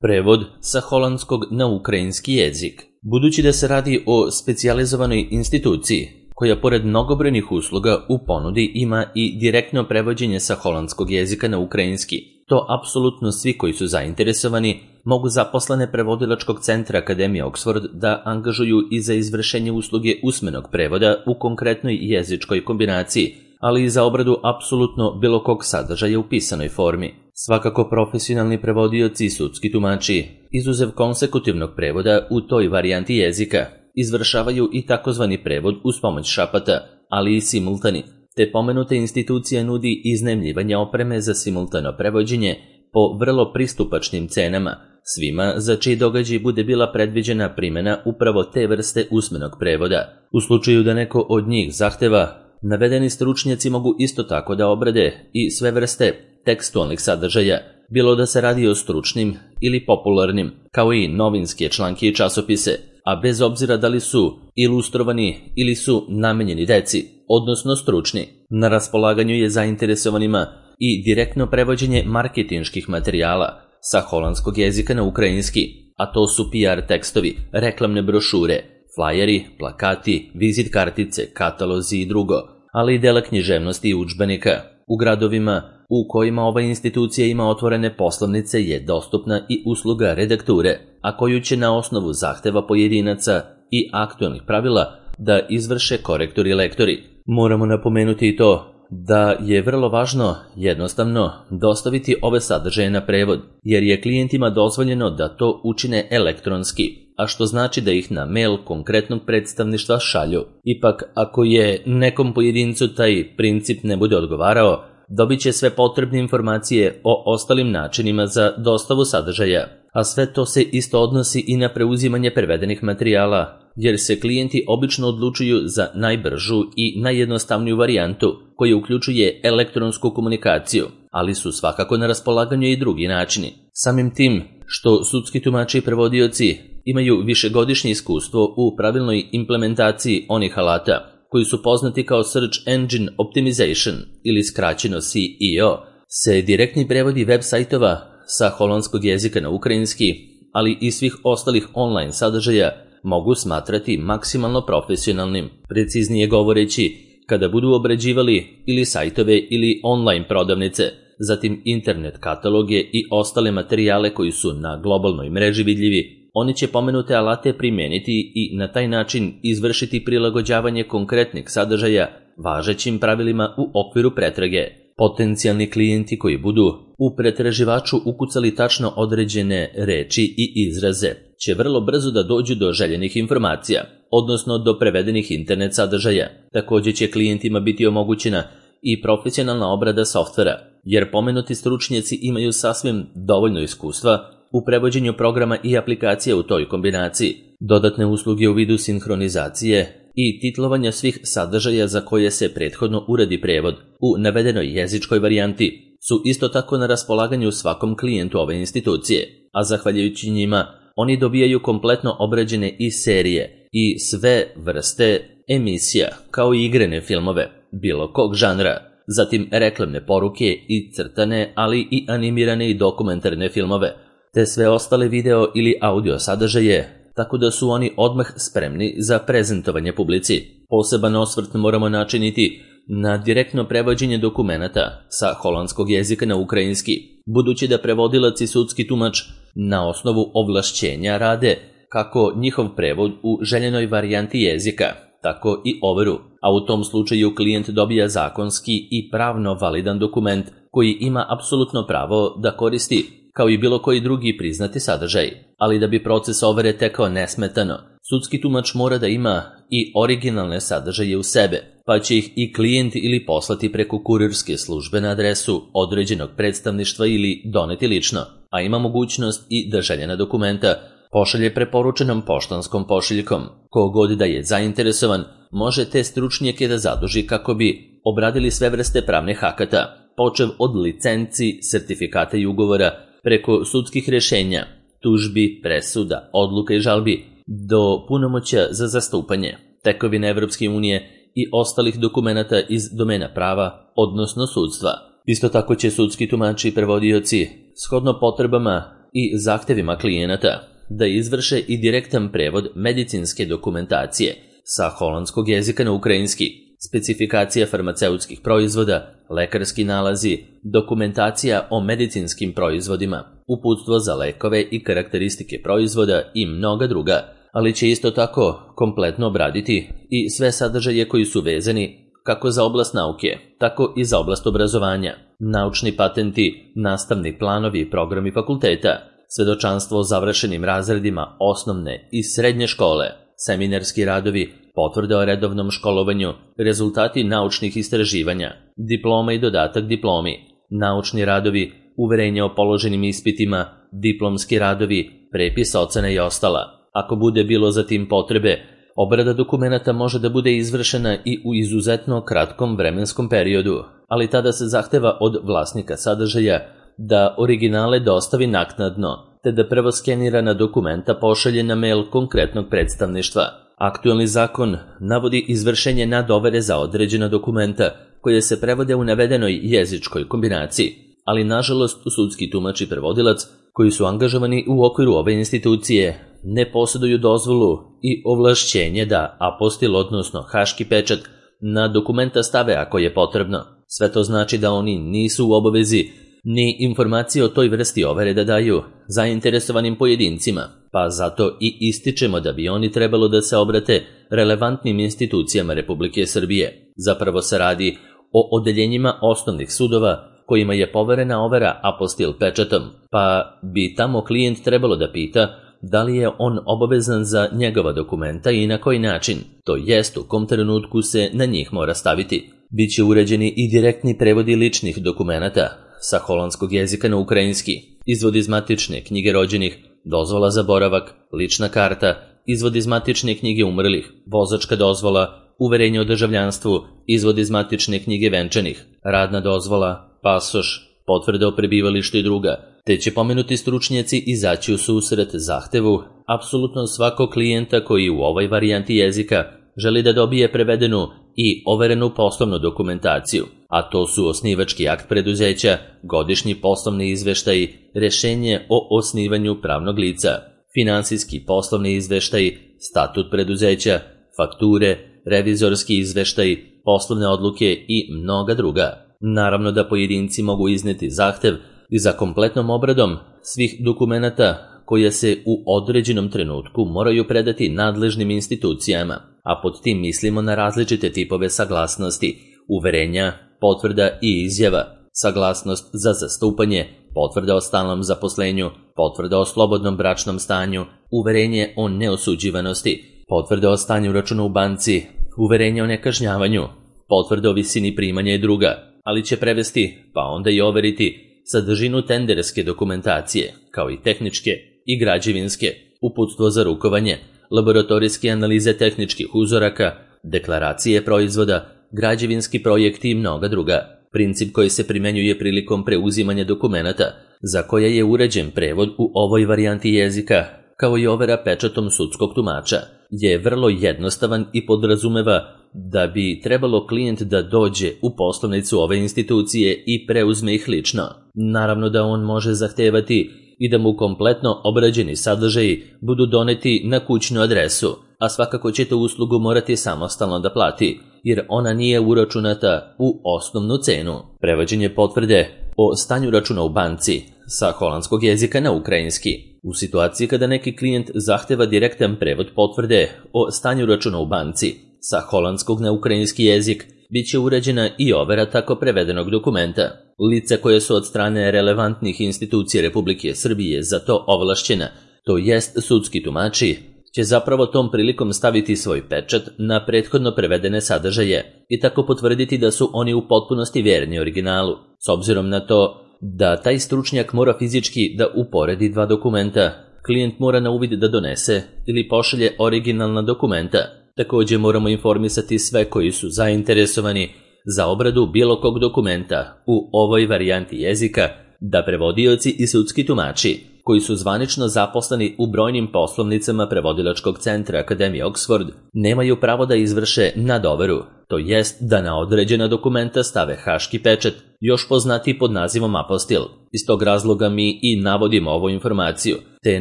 Prevod sa holandskog na ukrajinski jezik. Budući da se radi o specijalizovanoj instituciji, koja pored mnogobrojnih usluga u ponudi ima i direktno prevođenje sa holandskog jezika na ukrajinski, to apsolutno svi koji su zainteresovani mogu zaposlene prevodilačkog centra Akademije Oxford da angažuju i za izvršenje usluge usmenog prevoda u konkretnoj jezičkoj kombinaciji, ali i za obradu apsolutno bilo kog sadržaja u pisanoj formi. Svakako profesionalni prevodioci i sudski tumači, izuzev konsekutivnog prevoda u toj varijanti jezika, izvršavaju i takozvani prevod uz pomoć šapata, ali i simultani, te pomenuta institucija nudi iznajmljivanje opreme za simultano prevođenje po vrlo pristupačnim cenama, svima za čiji događaj bude bila predviđena primjena upravo te vrste usmenog prevoda. U slučaju da neko od njih zahteva, navedeni stručnjaci mogu isto tako da obrade i sve vrste tekstualnih sadržaja, bilo da se radi o stručnim ili popularnim, kao i novinske članke i časopise, a bez obzira da li su ilustrovani ili su namenjeni deci, odnosno stručni. Na raspolaganju je zainteresovanima i direktno prevođenje marketinških materijala sa holandskog jezika na ukrajinski, a to su PR tekstovi, reklamne brošure, flajeri, plakati, vizit kartice, katalozi i drugo, ali i dela književnosti i udžbenika. U gradovima u kojima ova institucija ima otvorene poslovnice je dostupna i usluga redakture, a koju će na osnovu zahteva pojedinaca i aktualnih pravila da izvrše korektori i lektori. Moramo napomenuti i to da je vrlo važno jednostavno dostaviti ove sadržaje na prevod, jer je klijentima dozvoljeno da to učine elektronski, a što znači da ih na mail konkretnog predstavništva šalju. Ipak, ako je nekom pojedincu taj princip ne bude odgovarao, dobit će sve potrebne informacije o ostalim načinima za dostavu sadržaja, a sve to se isto odnosi i na preuzimanje prevedenih materijala, jer se klijenti obično odlučuju za najbržu i najjednostavniju varijantu, koja uključuje elektronsku komunikaciju, ali su svakako na raspolaganju i drugi načini. Samim tim što sudski tumači i prevodioci imaju višegodišnje iskustvo u pravilnoj implementaciji onih alata koji su poznati kao Search Engine Optimization ili skraćeno SEO, se direktni prevodi web sajtova sa holandskog jezika na ukrajinski, ali i svih ostalih online sadržaja mogu smatrati maksimalno profesionalnim. Preciznije govoreći, kada budu obrađivali ili sajtove ili online prodavnice, zatim internet kataloge i ostale materijale koji su na globalnoj mreži vidljivi, oni će pomenute alate primijeniti i na taj način izvršiti prilagođavanje konkretnih sadržaja važećim pravilima u okviru pretrage. Potencijalni klijenti koji budu u pretraživaču ukucali tačno određene reči i izraze će vrlo brzo da dođu do željenih informacija, odnosno do prevedenih internet sadržaja. Također će klijentima biti omogućena i profesionalna obrada softvera, jer pomenuti stručnjaci imaju sasvim dovoljno iskustva u prevođenju programa i aplikacija u toj kombinaciji. Dodatne usluge u vidu sinhronizacije i titlovanja svih sadržaja za koje se prethodno uradi prevod u navedenoj jezičkoj varijanti su isto tako na raspolaganju svakom klijentu ove institucije, a zahvaljujući njima oni dobijaju kompletno obrađene i serije i sve vrste emisija, kao i igrane filmove, bilo kog žanra, zatim reklamne poruke i crtane, ali i animirane i dokumentarne filmove, te sve ostale video ili audio sadržaje, tako da su oni odmah spremni za prezentovanje publici. Poseban osvrt moramo načiniti na direktno prevođenje dokumenata sa holandskog jezika na ukrajinski, budući da prevodilac i sudski tumač na osnovu ovlašćenja rade kako njihov prevod u željenoj varijanti jezika, tako i overu, a u tom slučaju klijent dobija zakonski i pravno validan dokument koji ima apsolutno pravo da koristi kao i bilo koji drugi priznati sadržaj. Ali da bi proces overe tekao nesmetano, sudski tumač mora da ima i originalne sadržaje u sebe, pa će ih i klijent ili poslati preko kurirske službe na adresu određenog predstavništva ili doneti lično, a ima mogućnost i da željena dokumenta pošalje preporučenom poštanskom pošiljkom. Kogod da je zainteresovan, može te stručnjake da zaduži kako bi obradili sve vrste pravnih akata, počev od licenci, sertifikata i ugovora, preko sudskih rješenja, tužbi, presuda, odluka i žalbi, do punomoćja za zastupanje, tekovine Evropske unije i ostalih dokumenata iz domena prava, odnosno sudstva. Isto tako će sudski tumači i prevodioci, shodno potrebama i zahtevima klijenata da izvrše i direktan prevod medicinske dokumentacije sa holandskog jezika na ukrajinski, specifikacija farmaceutskih proizvoda, lekarski nalazi, dokumentacija o medicinskim proizvodima, uputstvo za lekove i karakteristike proizvoda i mnoga druga, ali će isto tako kompletno obraditi i sve sadržaje koji su vezani kako za oblast nauke, tako i za oblast obrazovanja, naučni patenti, nastavni planovi i programi fakulteta, svedočanstvo o završenim razredima osnovne i srednje škole, seminarski radovi, potvrde o redovnom školovanju, rezultati naučnih istraživanja, diploma i dodatak diplomi, naučni radovi, uverenja o položenim ispitima, diplomski radovi, prepis ocena i ostala. Ako bude bilo za tim potrebe, obrada dokumenata može da bude izvršena i u izuzetno kratkom vremenskom periodu, ali tada se zahteva od vlasnika sadržaja da originale dostavi naknadno, te da prvo skenirana dokumenta pošalje na mail konkretnog predstavništva. Aktuelni zakon navodi izvršenje nadovere za određena dokumenta koje se prevode u navedenoj jezičkoj kombinaciji, ali nažalost sudski tumač i prevodilac koji su angažovani u okviru ove institucije ne posjeduju dozvolu i ovlašćenje da apostil, odnosno haški pečat, na dokumenta stave ako je potrebno. Sve to znači da oni nisu u obavezi ni informacije o toj vrsti overe da daju zainteresovanim pojedincima, pa zato i ističemo da bi oni trebalo da se obrate relevantnim institucijama Republike Srbije. Zapravo se radi o odeljenjima osnovnih sudova kojima je poverena overa apostil pečatom, pa bi tamo klijent trebalo da pita da li je on obavezan za njegova dokumenta i na koji način, to jest u kom trenutku se na njih mora staviti. Biće uređeni i direktni prevodi ličnih dokumenata sa holandskog jezika na ukrajinski, izvod iz matične knjige rođenih, dozvola za boravak, lična karta, izvod iz matične knjige umrlih, vozačka dozvola, uverenje o državljanstvu, izvod iz matične knjige venčanih, radna dozvola, pasoš, potvrda o prebivalištu i druga, te će pomenuti stručnjaci izaći u susret zahtevu apsolutno svakog klijenta koji u ovoj varijanti jezika želi da dobije prevedenu i overenu poslovnu dokumentaciju, a to su osnivački akt preduzeća, godišnji poslovni izveštaj, rešenje o osnivanju pravnog lica, finansijski poslovni izveštaj, statut preduzeća, fakture, revizorski izveštaj, poslovne odluke i mnoga druga. Naravno da pojedinci mogu izneti zahtev i za kompletnom obradom svih dokumenata koje se u određenom trenutku moraju predati nadležnim institucijama, a pod tim mislimo na različite tipove saglasnosti, uverenja, potvrda i izjava, saglasnost za zastupanje, potvrda o stalnom zaposlenju, potvrda o slobodnom bračnom stanju, uverenje o neosuđivanosti, potvrda o stanju računa u banci, uverenje o nekažnjavanju, potvrda o visini primanja i druga, ali će prevesti, pa onda i overiti sadržinu tenderske dokumentacije, kao i tehničke i građevinske, uputstvo za rukovanje, laboratorijske analize tehničkih uzoraka, deklaracije proizvoda, građevinski projekti i mnoga druga. Princip koji se primenjuje prilikom preuzimanja dokumenata, za koje je uređen prevod u ovoj varijanti jezika, kao i overa pečatom sudskog tumača, je vrlo jednostavan i podrazumeva da bi trebalo klijent da dođe u poslovnicu ove institucije i preuzme ih lično. Naravno da on može zahtevati i da mu kompletno obrađeni sadržaji budu doneti na kućnu adresu, a svakako će tu uslugu morati samostalno da plati, jer ona nije uračunata u osnovnu cenu. Prevođenje potvrde o stanju računa u banci sa holandskog jezika na ukrajinski. U situaciji kada neki klijent zahteva direktan prevod potvrde o stanju računa u banci sa holandskog na ukrajinski jezik, bit će uređena i overa tako prevedenog dokumenta. Lica koje su od strane relevantnih institucija Republike Srbije za to ovlašćena, to jest sudski tumači, će zapravo tom prilikom staviti svoj pečat na prethodno prevedene sadržaje i tako potvrditi da su oni u potpunosti vjerni originalu. S obzirom na to da taj stručnjak mora fizički da uporedi dva dokumenta, klijent mora na uvid da donese ili pošalje originalna dokumenta. Također moramo informisati sve koji su zainteresovani za obradu bilo kog dokumenta u ovoj varijanti jezika da prevodioci i sudski tumači koji su zvanično zaposleni u brojnim poslovnicama prevodilačkog centra Akademije Oxford, nemaju pravo da izvrše nadoveru, to jest da na određena dokumenta stave haški pečat, još poznatiji pod nazivom apostil. Iz tog razloga mi i navodimo ovu informaciju, te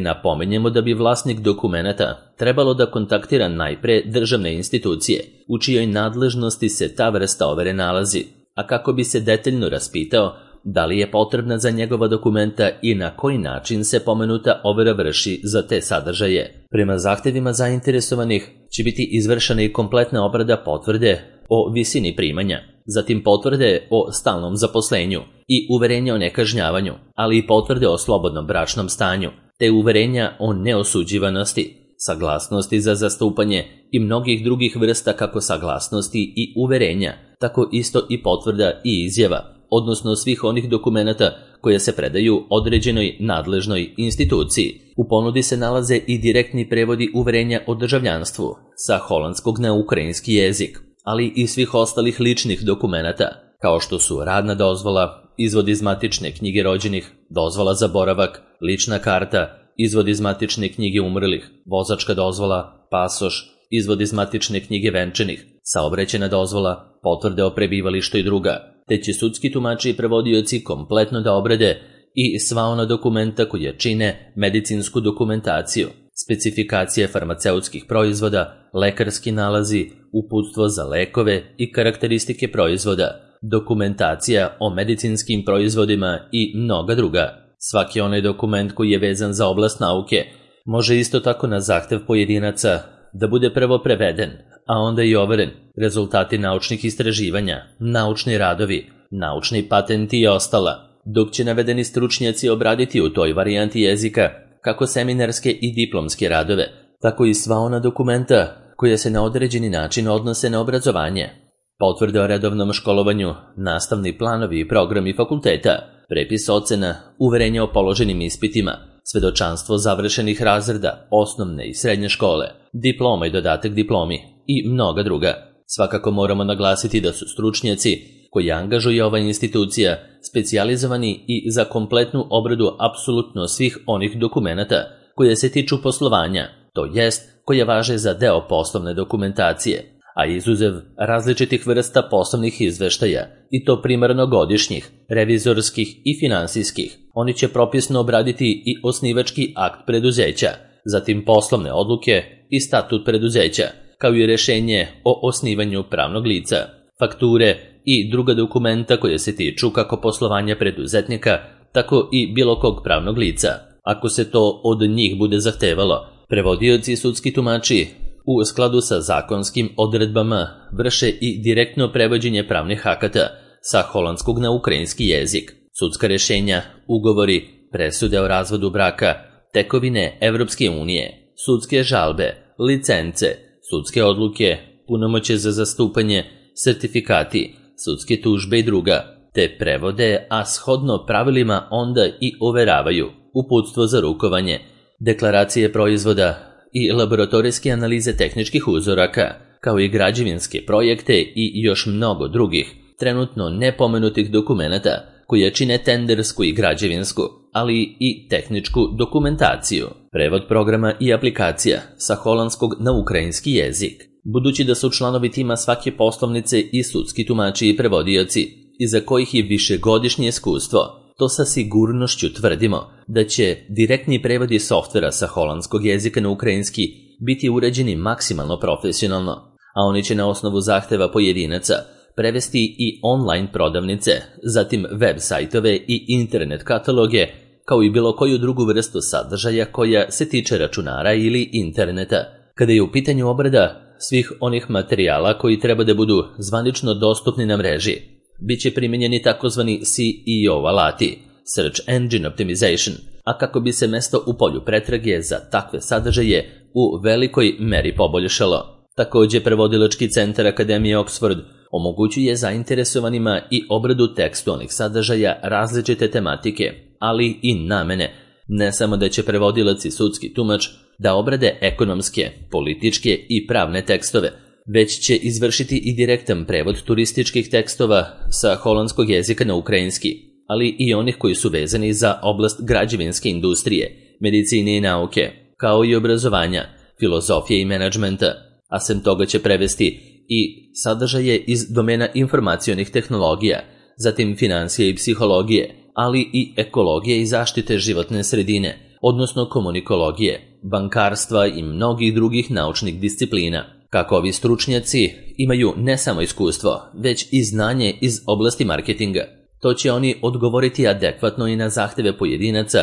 napomenjemo da bi vlasnik dokumenata trebalo da kontaktira najpre državne institucije, u čijoj nadležnosti se ta vrsta overe nalazi, a kako bi se detaljno raspitao da li je potrebna za njegova dokumenta i na koji način se pomenuta overa vrši za te sadržaje. Prema zahtevima zainteresovanih će biti izvršena i kompletna obrada potvrde o visini primanja, zatim potvrde o stalnom zaposlenju i uverenja o nekažnjavanju, ali i potvrde o slobodnom bračnom stanju, te uverenja o neosuđivanosti, saglasnosti za zastupanje i mnogih drugih vrsta kako saglasnosti i uverenja, tako isto i potvrda i izjava, odnosno svih onih dokumenata koje se predaju određenoj nadležnoj instituciji. U ponudi se nalaze i direktni prevodi uverenja o državljanstvu sa holandskog na ukrajinski jezik, ali i svih ostalih ličnih dokumenata, kao što su radna dozvola, izvod iz matične knjige rođenih, dozvola za boravak, lična karta, izvod iz matične knjige umrlih, vozačka dozvola, pasoš, izvod iz matične knjige venčanih, saobraćajna dozvola, potvrde o prebivalištu i druga, te će sudski tumači i prevodioci kompletno da obrade i sva ona dokumenta koja čine medicinsku dokumentaciju, specifikacije farmaceutskih proizvoda, lekarski nalazi, uputstvo za lekove i karakteristike proizvoda, dokumentacija o medicinskim proizvodima i mnoga druga. Svaki onaj dokument koji je vezan za oblast nauke može isto tako na zahtev pojedinaca da bude prvo preveden, a onda i overen, rezultati naučnih istraživanja, naučni radovi, naučni patenti i ostala, dok će navedeni stručnjaci obraditi u toj varijanti jezika kako seminarske i diplomske radove, tako i sva ona dokumenta koja se na određeni način odnose na obrazovanje, potvrde o redovnom školovanju, nastavni planovi i programi fakulteta, prepis ocena, uverenja o položenim ispitima, svedočanstvo završenih razreda, osnovne i srednje škole, diploma i dodatak diplomi i mnoga druga. Svakako moramo naglasiti da su stručnjaci koji angažuje ova institucija specijalizovani i za kompletnu obradu apsolutno svih onih dokumenata koje se tiču poslovanja, to jest koje važe za deo poslovne dokumentacije, a izuzev različitih vrsta poslovnih izveštaja, i to primarno godišnjih, revizorskih i finansijskih. Oni će propisno obraditi i osnivački akt preduzeća, zatim poslovne odluke i statut preduzeća, kao i rešenje o osnivanju pravnog lica, fakture i druga dokumenta koje se tiču kako poslovanja preduzetnika, tako i bilo kog pravnog lica. Ako se to od njih bude zahtevalo, prevodioci i sudski tumači u skladu sa zakonskim odredbama vrše i direktno prevođenje pravnih akata sa holandskog na ukrajinski jezik, sudska rešenja, ugovori, presude o razvodu braka, tekovine Evropske unije, sudske žalbe, licence, sudske odluke, punomoćje za zastupanje, sertifikati, sudske tužbe i druga, te prevode, a shodno pravilima onda i overavaju uputstvo za rukovanje, deklaracije proizvoda i laboratorijske analize tehničkih uzoraka, kao i građevinske projekte i još mnogo drugih, trenutno nepomenutih dokumenata koje čine tendersku i građevinsku, ali i tehničku dokumentaciju, prevod programa i aplikacija sa holandskog na ukrajinski jezik. Budući da su članovi tima svake poslovnice i sudski tumači i prevodioci, iza kojih je višegodišnje iskustvo, to sa sigurnošću tvrdimo da će direktni prevodi softvera sa holandskog jezika na ukrajinski biti uređeni maksimalno profesionalno, a oni će na osnovu zahteva pojedinaca prevesti i online prodavnice, zatim web sajtove i internet kataloge, kao i bilo koju drugu vrstu sadržaja koja se tiče računara ili interneta. Kada je u pitanju obrada svih onih materijala koji treba da budu zvanično dostupni na mreži, biće primijenjeni takozvani SEO alati, Search Engine Optimization, a kako bi se mesto u polju pretrage za takve sadržaje u velikoj meri poboljšalo. Također, prevodilački centar Akademije Oxford omogućuje zainteresovanima i obradu tekstualnih sadržaja različite tematike, ali i namene. Ne samo da će prevodilac i sudski tumač da obrade ekonomske, političke i pravne tekstove, već će izvršiti i direktan prevod turističkih tekstova sa holandskog jezika na ukrajinski, ali i onih koji su vezani za oblast građevinske industrije, medicine i nauke, kao i obrazovanja, filozofije i menadžmenta, a sem toga će prevesti i sadržaje iz domena informacionih tehnologija, zatim financije i psihologije, ali i ekologije i zaštite životne sredine, odnosno komunikologije, bankarstva i mnogih drugih naučnih disciplina. Kako ovi stručnjaci imaju ne samo iskustvo, već i znanje iz oblasti marketinga, to će oni odgovoriti adekvatno i na zahteve pojedinaca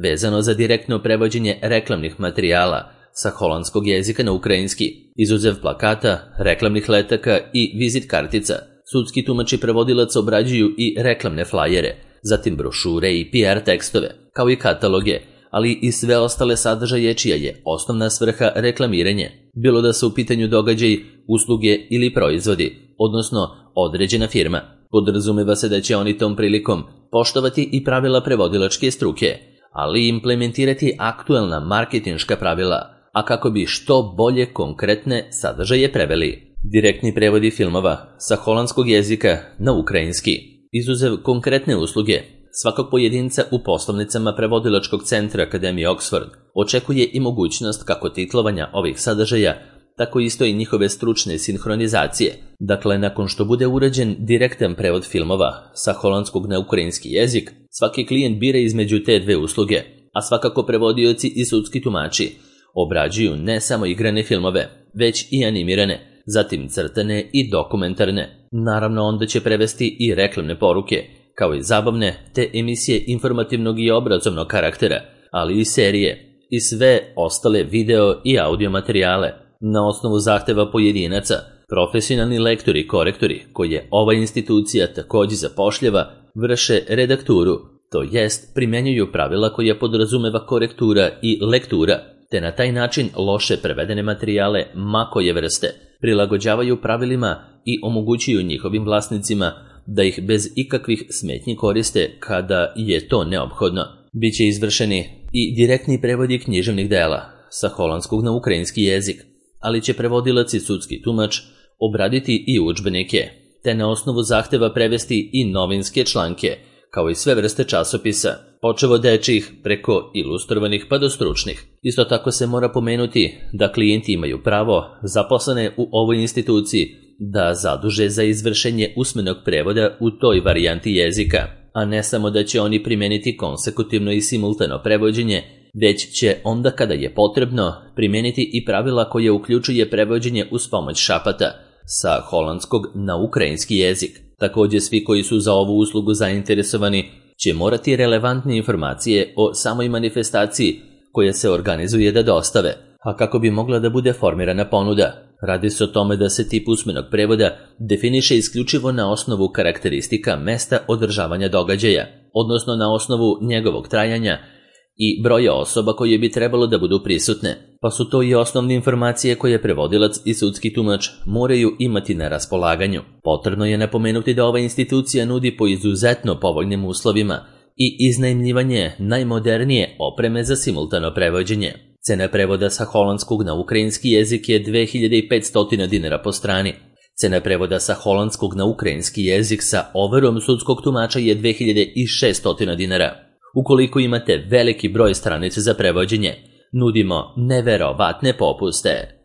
vezano za direktno prevođenje reklamnih materijala sa holandskog jezika na ukrajinski, izuzev plakata, reklamnih letaka i vizit kartica. Sudski tumač i prevodilac obrađuju i reklamne flajere, zatim brošure i PR tekstove, kao i kataloge, ali i sve ostale sadržaje čija je osnovna svrha reklamiranje, bilo da su u pitanju događaji, usluge ili proizvodi, odnosno određena firma. Podrazumeva se da će oni tom prilikom poštovati i pravila prevodilačke struke, ali i implementirati aktuelna marketinška pravila, a kako bi što bolje konkretne sadržaje preveli. Direktni prevodi filmova sa holandskog jezika na ukrajinski, izuzev konkretne usluge, svakog pojedinca u poslovnicama prevodilačkog centra Akademije Oxford očekuje i mogućnost kako titlovanja ovih sadržaja, tako isto i njihove stručne sinhronizacije. Dakle, nakon što bude urađen direktan prevod filmova sa holandskog na ukrajinski jezik, svaki klijent bira između te dve usluge, a svakako prevodioci i sudski tumači obrađuju ne samo igrane filmove, već i animirane, zatim crtane i dokumentarne. Naravno, onda će prevesti i reklamne poruke, kao i zabavne te emisije informativnog i obrazovnog karaktera, ali i serije i sve ostale video i audio materijale. Na osnovu zahteva pojedinaca, profesionalni lektori i korektori, koje ova institucija također zapošljava, vrše redakturu, to jest primjenjuju pravila koja podrazumeva korektura i lektura, te na taj način loše prevedene materijale ma koje vrste prilagođavaju pravilima i omogućuju njihovim vlasnicima da ih bez ikakvih smetnji koriste kada je to neophodno. Biće izvršeni i direktni prevodi književnih dela sa holandskog na ukrajinski jezik, ali će prevodilac i sudski tumač obraditi i udžbenike, te na osnovu zahteva prevesti i novinske članke, kao i sve vrste časopisa, počev od dečjih preko ilustrovanih pa do stručnih. Isto tako se mora pomenuti da klijenti imaju pravo, zaposlene u ovoj instituciji, da zaduže za izvršenje usmenog prevoda u toj varijanti jezika, a ne samo da će oni primeniti konsekutivno i simultano prevođenje, već će onda kada je potrebno primeniti i pravila koje uključuje prevođenje uz pomoć šapata sa holandskog na ukrajinski jezik. Također svi koji su za ovu uslugu zainteresovani će morati relevantne informacije o samoj manifestaciji koja se organizuje da dostave, a kako bi mogla da bude formirana ponuda. Radi se o tome da se tip usmenog prevoda definiše isključivo na osnovu karakteristika mesta održavanja događaja, odnosno na osnovu njegovog trajanja i broja osoba koje bi trebalo da budu prisutne, pa su to i osnovne informacije koje prevodilac i sudski tumač moraju imati na raspolaganju. Potrebno je napomenuti da ova institucija nudi po izuzetno povoljnim uslovima i iznajmljivanje najmodernije opreme za simultano prevođenje. Cena prevoda sa holandskog na ukrajinski jezik je 2500 dinara po strani. Cena prevoda sa holandskog na ukrajinski jezik sa overom sudskog tumača je 2600 dinara. Ukoliko imate veliki broj stranica za prevođenje, nudimo neverovatne popuste.